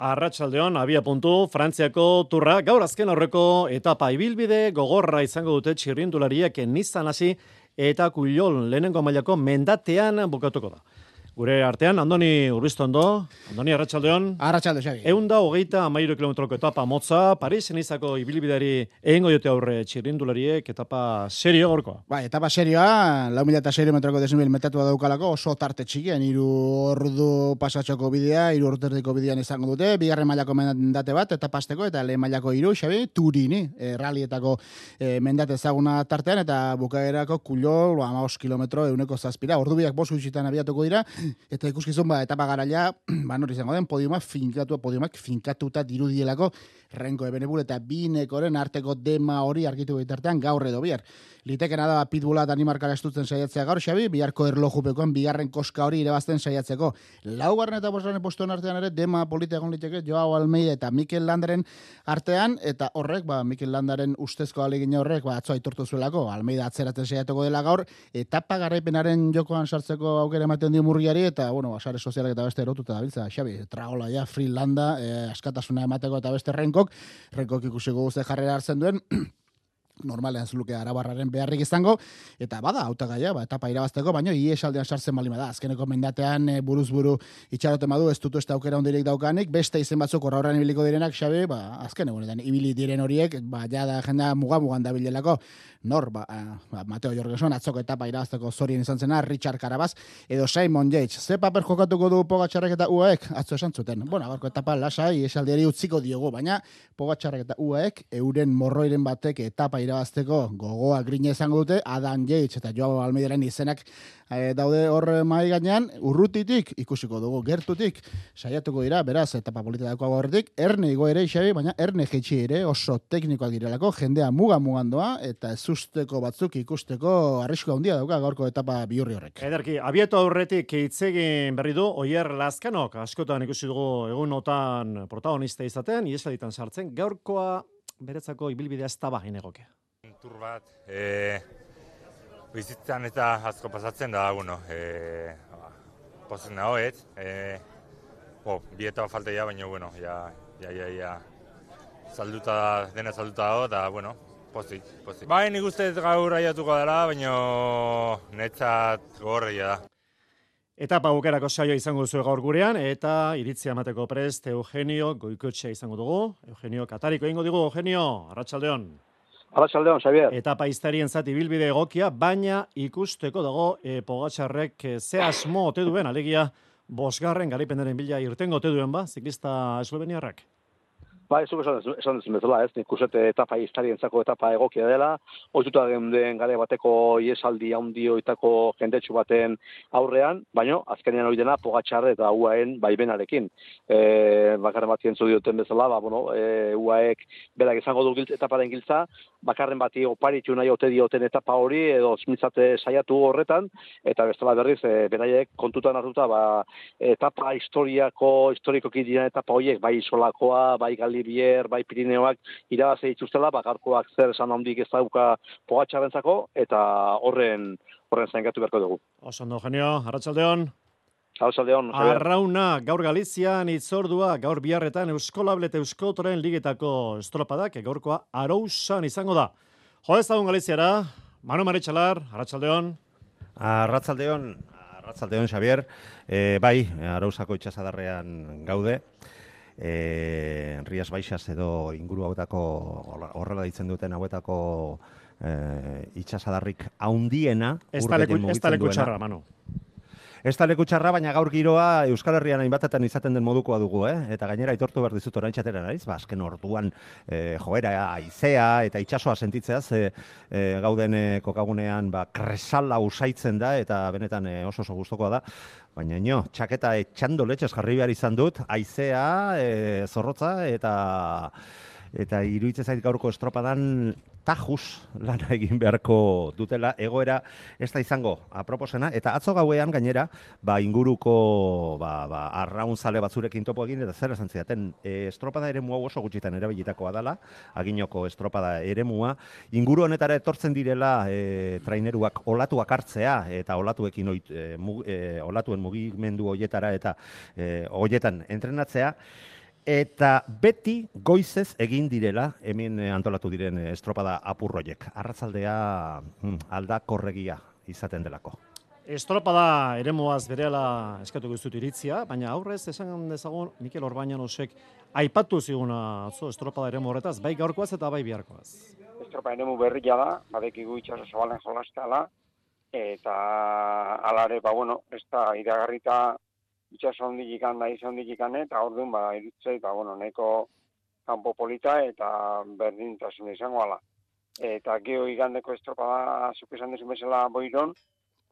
Arratsaldeon, abia puntu, Frantziako turra, gaur azken aurreko etapa ibilbide gogorra izango dute txirrindulariak Nizan hasi eta Kullol lehenengo mailako mendatean bukatuko da. Gure artean, Andoni Urbistondo, Andoni Arratsaldeon. Arratsalde, Xabi. 123 kilometroko etapa motza, Paris Nizako ibilbideari egingo diote aurre txirrindulariek, etapa serio gorkoa. Bai, etapa serioa, 4.000 metroko desnivel metatua daukalako, oso tarte txikian, 3 ordu pasatxoko bidea, 3 orderdiko bidean izango dute, bigarren mailako mendate bat, etapa hasteko eta lehen mailako 3, Xabi, Turini, rallietako mendate ezaguna tartean, eta bukaerako Kullol, 15 kilometro, 107, ordu biak 5 gutxitan abiatuko dira, eta ikuskizun etapa garaia, nori izango den, podiumak finkatuta dirudielako, Renko Ebenebul eta Binekoren arteko dema hori argitu bitartean gaur edo bihar. Litekena da Pitbulla Danimarkara estutzen saiatzea gaur, Xabi, biharko erlojupekoan bigarren koska hori irabazten saiatzeko. Laugarren eta bosgarren postuen artean ere dema polita egon liteke Joao Almeida eta Mikel Landaren artean, eta horrek, Mikel Landaren ustezko alegin horrek, atzo aitortu zuelako, Almeida atzeratzen saiatuko dela gaur, etapa garaipenaren jokoan sartzeko aukera ematen dio Murriari, eta, sare sozialak eta beste erotuta dabiltza, Xabi, tragola ja, Freelanda, askatasuna emateko eta beste Renkok ikusiko guzti jarrera hartzen duen, normalean zuluke arabarraren beharrik izango, eta bada, hautagaia, etapa irabazteko, baina esaldean sartzen balima da. Azkeneko mendatean buruz-buru itxarote madu, ez dutu ez da aukera ondirik daukanik, beste izen batzuk horra ibiliko direnak, Xabi, azken egunetan, ibili diren horiek, jada jendea mugamugan dabilelako, Mateo Jorgenson, atzoko etapa irabazteko zorien izan zena, Richard Carapaz, edo Simon Yates. Ze paper jokatuko du Pogačarrek eta UAEk, atzo esan zuten. Gaurko etapa lasai, esaldiari utziko diogu, baina Pogačarrek eta UAEk, euren morroiren batek etapa irabazteko gogoa grina izango dute, Adam Yates eta Joao Almeidaren izenak daude hor mai gainean, urrutitik ikusiko dugu, gertutik saiatuko dira, beraz, etapa polita dagoa horretik, erne igo ere, Xabi, baina erne jetxi ere oso teknikoak direlako, jendea mugan doa, eta ezusteko batzuk ikusteko arrisko handia dauka gaurko etapa bihurri horrek. Ederki, abieto aurretik hitzegin berri du, Oier Lazkanok, askotan ikusi dugu egunotan protagonista izaten, iesaditan sartzen, gaurkoa beretzako ibilbidea ez da bahin egoke. Tur bat, bizitzan eta asko pasatzen da, pozik nagoet, bi etapa falta ja, baina, dena salduta dago, da, pozik. Nik uste gaur aiatuko dela, baina netzat gogorria da. Etapa bukerako saioa izango duzu gaur gurean, eta iritzia emateko prest Eugenio Goikotxea izango dugu. Eugenio Katariko egingo digu, Eugenio, arratsaldeon. Arratsaldeon, Xabier. Etapa iztarien zati bilbide egokia, baina ikusteko dago Pogačarrek ze asmo ote duen, alegia 5. garaipenaren bila irtengo ote duen ziklista esloveniarrak. Zuk esan duzun bezala, nik uste etapa historientzako etapa egokia dela, ohituta den gare bateko iesaldi handioitako jendetsu baten aurrean, baina azkenean hori dena Pogačar eta UAEn baimenarekin. Bakarren bat zientzu dioten bezala, UAEk berak izango du etaparen giltza, bakarren bati oparitu nahi ote dioten etapa hori, edo zmitzate saiatu horretan, eta bestela berriz, beraiek kontutan hartuta, etapa historikoki diren etapa horiek, bai Solakoa, bai Galibier, bai Pirineoak irabazi dituztela, gaurkoak zer esan handik ez dauka Pogačarrentzako, eta horren zaingatu beharko dugu. Oso ondo, Eugenio, arratsaldeon. Arratsaldeon. Arrauna, gaur Galizian itzordua, gaur biharretan Euskolabel eta Euskotoren ligetako estropadak, gaurkoa Arousan izango da. Jo ezagun Galiziara, Manu Maritxalar, arratsaldeon. Arratsaldeon, Xabier. Bai, Arausako itxasadarrean gaude. Rias Baixas edo inguru hauetako horrela ditzen duten hauetako itxasadarrik haundiena urgeten mugitzen duena. Manu. Ez da leku txarra, baina gaur giroa Euskal Herrian hainbatetan izaten den modukoa dugu, eta gainera aitortu behar dizut orain txatera naiz, azken orduan joera, haizea eta itsasoa sentitzeaz gauden kokagunean kresala usaitzen da, eta benetan oso gustukoa da, baina txaketa etxando letxez jarri behar izan dut, haizea, zorrotza, eta iruditzen zait gaurko estropadan tajuz lana egin beharko dutela, egoera ez da izango aproposena, eta atzo gauean gainera, inguruko arraunzale batzurekin topo egin, eta zer esan zidaten, estropada eremua oso gutxitan erabilitakoa dela, aginoko estropada eremua, inguru honetara etortzen direla traineruak olatuak hartzea, eta olatuen mugimendu hoietara eta hoietan entrenatzea, Eta beti goizez egin direla, hemen antolatu diren estropada apurroiek. Arratzaldea aldakorregia izaten delako. Estropada eremuaz berehala eskatuko dizut iritzia, baina aurrez esan dezagun Mikel Orbañanosek aipatu ziguna atzo estropada eremu horretaz, bai gaurkoaz eta bai biharkoaz. Estropada eremu berria da, badekigu itsaso zabalen jolastala, eta alare, ez da iragarrita itsaso handikikan da handikikan, eta orduan, irutzei, nahiko kanpo polita eta berdintasun izango ala. Eta geho igandeko estropada, zuk esan dezu bezala Boiron,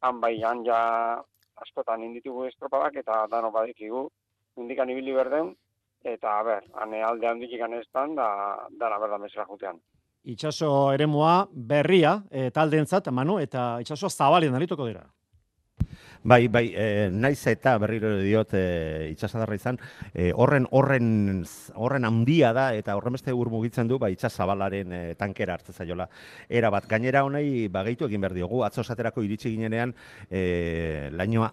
han ja askotan inditugu estropadak eta dano badekigu, indikan ibili berden, eta hane alde handikikan ez dara berdan bezala jutean. Itsaso eremua berria taldeentzat, Manu, eta itsaso zabalien arituko dira. Bai, naiz eta berriro diot itsasadarra izan, horren handia da eta horren beste mugitzen du itsasabalaren tankera hartzen zaiola. Era bat, gainera honei gehitu egin behar diogu, atzo esaterako iritsi ginenean lainoa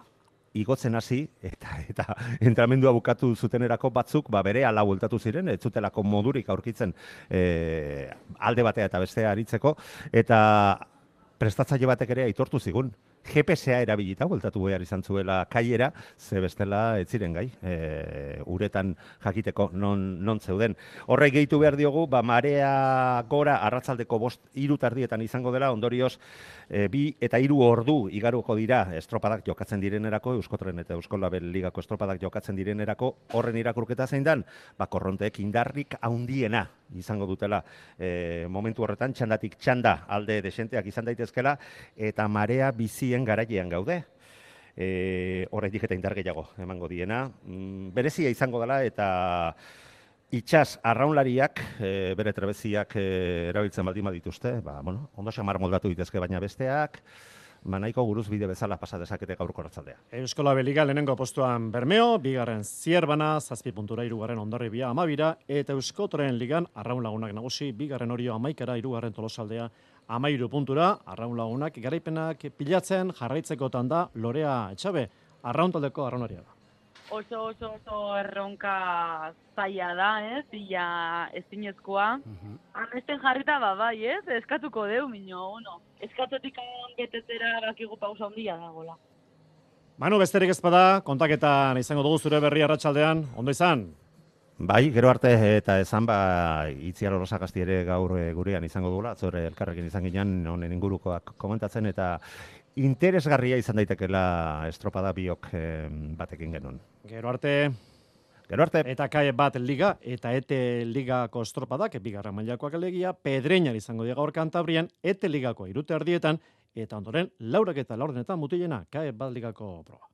igotzen hasi eta entrenamendua bukatu zutenerako batzuk bere ala bueltatu ziren, ez zutelako modurik aurkitzen alde batea eta bestea aritzeko, eta prestatzaile batek ere aitortu zigun. GPS-a erabilita, bueltatu behar izan zuela kaiera, ze bestela ez ziren gai, uretan jakiteko non zeuden. Horrek gehitu behar diogu, marea gora arratzaldeko 3:00 izango dela, ondorioz 2 eta 3 ordu igaruko dira estropadak jokatzen direnerako, Euskotren eta Euskolabel Ligako estropadak jokatzen direnerako, horren irakurketa zein dan, korronteek indarrik handiena izango dutela momentu horretan, txandatik txanda alde desenteak izan daitezkela, eta marea bizien garailean gaude. Horretik eta indar gehiago emango diena. Berezia izango dela eta itsas arraunlariak, bere trebeziak erabiltzen baldin badituzte, ondo xamar moldatu ditezke, baina besteak, nahiko guruz bide bezala pasa dezakete gaurko arratsaldea. Euskolabel Liga lehenengo postuan Bermeo, 2. Zierbana, 7 puntura, 3. Hondarribia 12, eta Euskotren Ligan Arraun Lagunak nagusi, 2. Orio 11, 3. Tolosaldea 13 puntura, Arraun Lagunak garaipenak pilatzen jarraitzekotan da Lorea Etxabe, Arraun taldeko arraunaria da. Oso erronka zaila da, zila ezinezkoa. Amesten jarrita bai, eskatuko deu, eskatzetik betetzera bakigu pausa handia dagoela. Manu, besterik ez bada, kontaketan izango dugu zure berri arratsaldean, ondo izan? Bai, gero arte eta esan Itziar Orosagasti ere gaur gurean izango dugula, atzore elkarrekin izan ginen honen ingurukoak komentatzen, eta interesgarria izan daitekela estropada biok batekin genuen. Gero arte. Eta kae bat liga, eta ete ligako estropadak, 2. mailakoak alegia, Pedreñan izango dira gaur Kantabrian, ete ligako 3:30, eta ondoren 4 eta 4 mutilena, kae bat ligako proba.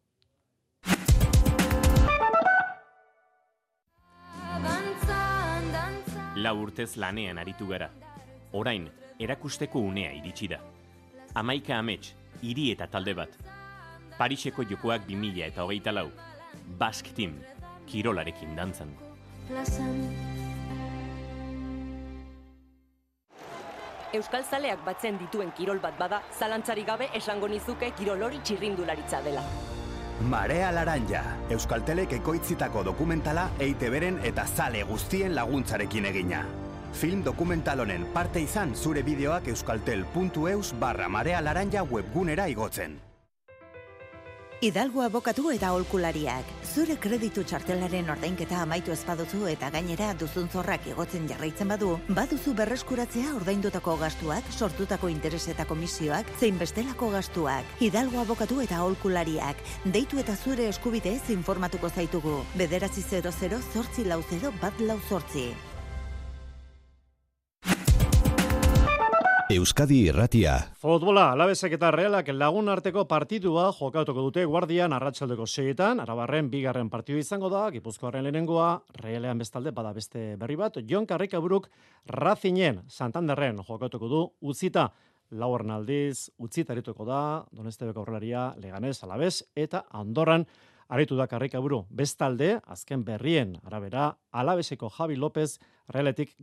Lau urtez lanean aritu gara. Orain, erakusteko unea iritsi da. 11 amets, hiri eta talde bat. Pariseko jokoak 2024. Basque Team, kirolarekin dantzan. Euskaltzaleak batzen dituen kirol bat bada, zalantzarik gabe esango nizuke kirol hori txirrindularitza dela. Marea Laranja, Euskaltelek ekoitzitako dokumentala EITB-ren eta zale guztien laguntzarekin egina. Film dokumental honen parte izan zure bideoak euskaltel.eus/Marea Laranja webgunera igotzen. Hidalgo abokatu eta aholkulariak. Zure kreditu txartelaren ordainketa amaitu ez baduzu eta gainera duzun zorrak igotzen jarraitzen badu, baduzu berreskuratzea ordaindutako gastuak, sortutako interes eta komisioak, zein bestelako gastuak. Hidalgo abokatu eta aholkulariak. Deitu eta zure eskubideez informatuko zaitugu. 900-840-148. Euskadi Irratia. Futbola, Alavesek eta Realak lagun arteko partidua jokatuko dute Guardian arratsaldeko 6etan, Arabarren 2. partidu izango da, Gipuzkoarren lehenengoa, Realean bestalde bada beste berri bat, Jon Karrikaburuk Racingen Santanderren jokatuko du utzita, Lauren aldiz utzita arituko da, Donestebeko aurrelaria Leganés, Alavés eta Andorran aritu da Karrikaburu. Bestalde, azken berrien arabera, Alaveseko Javi López Realetik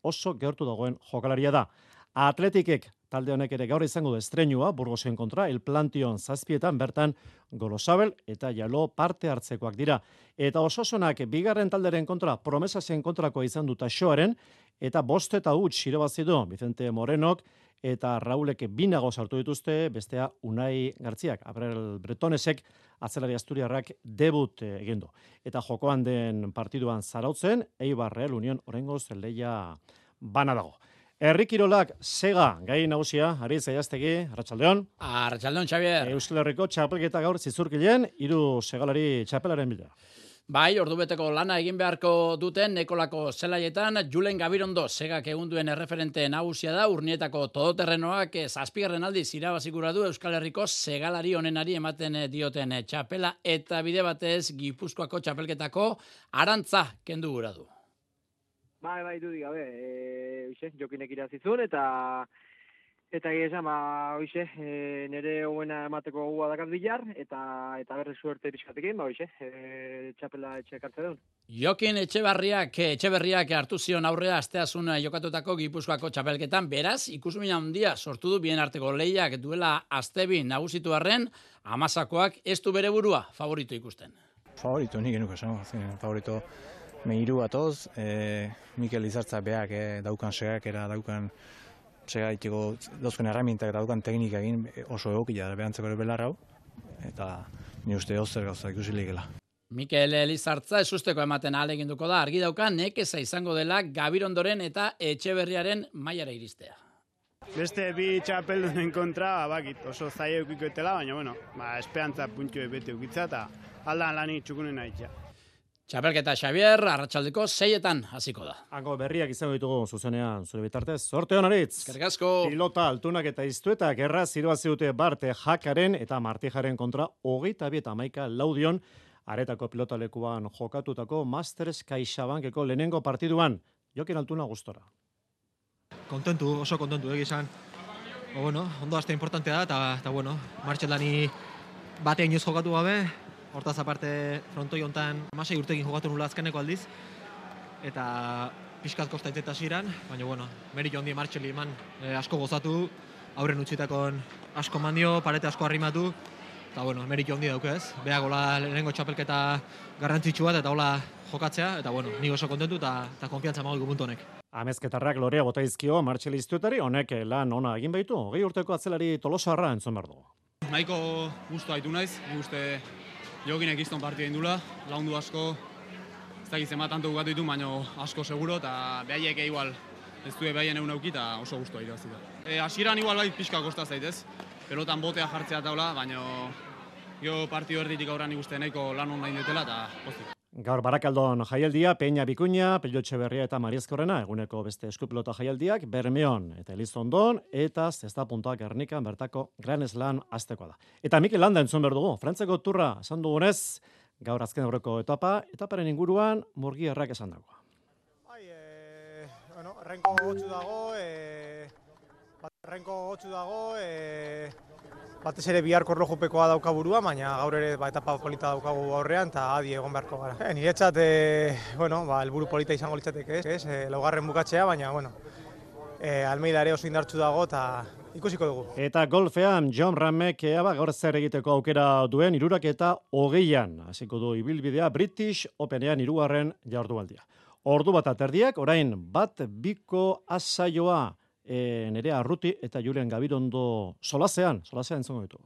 oso gertu dagoen jokalaria da. Atletikek Talde honek ere gaur izango du estreinua Burgosen kontra, El Plantion 7 bertan Golosabel eta Jalo parte hartzekoak dira. Eta Osasunak bigarren talderen kontra, Promesasen kontrakoa izan du Taxoaren, eta 5-huts irabazi du Vicente Morenok, eta Raulek binago sartu dituzte, bestea Unai Gartziak, Abrel Bretonesek, atzelari asturiarrak debut egin du. Eta jokoan den partiduan Zarautzen, Eibar Real Union oraingoz leia bana dago. Herrikirolak Sega gai nagusia, Ariz Aiastegi, Arratsaldeon. Arratsaldeon, Xavier. Euskal Herriko txapelketa gaur Zizurkilen, 3 segalari txapelaren bila. Bai, ordubeteko lana egin beharko duten Nekolako zelaietan, Julen Gabirondo Segak egun duen erreferente nagusia da, Urnietako todoterrenoak 7. aldiz irabazikura du Euskal Herriko segalari onenari ematen dioten txapela, eta bide batez Gipuzkoako txapelketako arantza kendu gura du. Bai, dudik gabe, jokinek irazizun, eta esan, nire hoena emateko gua dakat bilar, eta berri suerte pixkatekin, txapela etxekartze duen. Jokin Etxeberriak hartu zion aurrea asteazun jokatutako Gipuzkoako txapelketan, beraz, ikusmin handia sortu du bien arteko lehiak duela astebi nagusitu arren, Amasakoak ez du bere burua favorito ikusten. Favorito, nik genuke esan, favorito Meiru atoz, Mikel Izartza beak daukan segak, daukan sega itxeko dauzkan herramientak eta daukan teknika egin oso egokila behantzeko ere belarrau, eta ni uste zer gauza ikusi ligela. Mikel Elizartza ezusteko ematen ahaleginduko da, argi daukan nekeza izango dela Gabirondoren eta Etxeberriaren mailara iristea. Beste bi txapeldunen kontra, oso zaila eukikoetela, baina, esperantza puntxo bete eukitza eta aldan lani txukunen aitzea. Txapelketa Xavier, arratsaldeko 6etan hasiko da. Hango berriak izango ditugu zuzenean zure bitartez. Sorte hon Aritz. Eskerrik asko. Pilota altunak eta iztuetak erraz irabazi dute Barte Jakaren eta Martijaren kontra 22-11 Laudion aretako pilotalekuan jokatutako Masters CaixaBankeko lehenengo partiduan. Jokin Altuna gustora. Oso kontentu egizan. Ondo aste importantea da eta martxelani bate inoz jokatu gabe. Hortaz aparte frontoi hontan 16 urtekin jokatu nula azkeneko aldiz, eta pixkat kosta itzeta ziren, baina merito handi martxeli eman asko gozatu, aurren utzietakon asko mandio, parete asko arrimatu, eta merito handi dauke ez. Beha gola lehenengo txapelketa garrantzitsu bat, eta hola jokatzea, eta nik oso kontentu eta konfiantza magoiko puntu honek. Amezketarrak lorea bota izkio martxeli iztuetari, honek lan ona egin baitu, 20 urteko atzelari Tolosarra entzun behar du. Nahiko gustu haitu naiz, uste Jokinek izton partia indula, laundu asko, ez dakiz tanto bukatu ditu, baina asko seguro, eta behaiek igual ez du behaien egun auki, eta oso guztua irazita. Hasieran igual bai pixka kosta zaitez, pelotan botea jartzea taula, baina partio erditik aurran ikusten nahiko lan online dutela, eta pozik. Gaur Barakaldon jaialdia, Peña Bikuña, Pello Etxeberria eta Mariezkorrena, eguneko beste eskupilota jaialdiak, Bermeon eta Elizondon, eta Zesta Puntak Gernikan bertako Grand Slam aztekoa da. Eta Mikel Landa entzun behar dugu, Frantzeko turra esan dugunez, gaur azken aurreko etaparen inguruan Murgiarrak esan dagoa. Renko gotxu dago, batez ere biharko erlojupekoa dauka burua, baina gaur ere etapa polita daukagu aurrean, eta adi egon beharko gara. Niretzat, helburu polita izango litzateke ez, laugarren bukatzea, baina, Almeida ere oso indartsu dago, eta ikusiko dugu. Eta golfean, John Ramek gaur zer egiteko aukera duen 3:20, hasiko du ibilbidea British Openean 3. jardunaldia. Ordu bat aterdiak, orain 1-2 asaioa, Nerea Arruti eta Julen Gabirondo solasean entzongo ditu.